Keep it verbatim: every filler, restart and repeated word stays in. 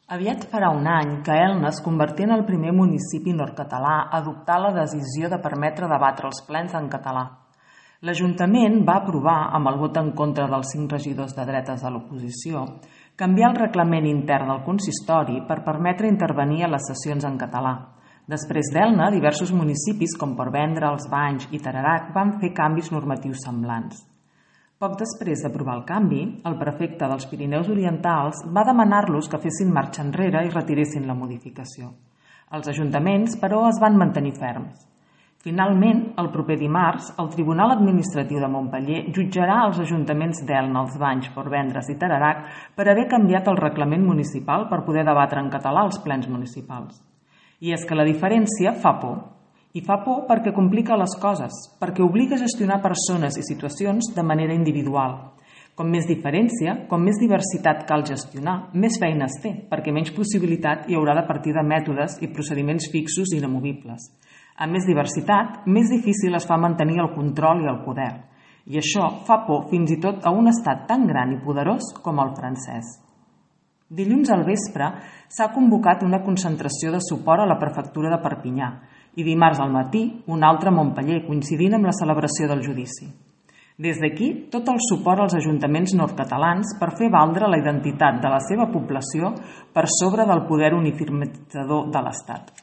Aviat farà un any que Elna es convertí en el primer municipi nord-català a adoptar la decisió de permetre debatre els plens en català. L'Ajuntament va aprovar, amb el vot en contra dels cinc regidors de dretes de l'oposició, canviar el reglament intern del consistori per permetre intervenir a les sessions en català. Després d'Elna, diversos municipis com Portvendres, Els Banys i Tarerac van fer canvis normatius semblants. Poc després d'aprovar el canvi, el prefecte dels Pirineus Orientals va demanar-los que fessin marxa enrere i retiressin la modificació. Els ajuntaments, però, es van mantenir ferms. Finalment, el proper dimarts, el Tribunal Administratiu de Montpeller jutjarà els ajuntaments d'Elna, Els Banys, Portvendres i Tarerac per haver canviat el reglament municipal per poder debatre en català els plens municipals. I és que la diferència fa por. I fa por perquè complica les coses, perquè obliga a gestionar persones i situacions de manera individual. Com més diferència, com més diversitat cal gestionar, més feina es té, perquè menys possibilitat hi haurà de partir de mètodes i procediments fixos i inamovibles. A més diversitat, més difícil es fa mantenir el control i el poder. I això fa por fins i tot a un estat tan gran i poderós com el francès. Dilluns al vespre s'ha convocat una concentració de suport a la prefectura de Perpinyà i dimarts al matí una altra a Montpeller, coincidint amb la celebració del judici. Des d'aquí, tot el suport als ajuntaments nord-catalans per fer valdre la identitat de la seva població per sobre del poder uniformitzador de l'Estat.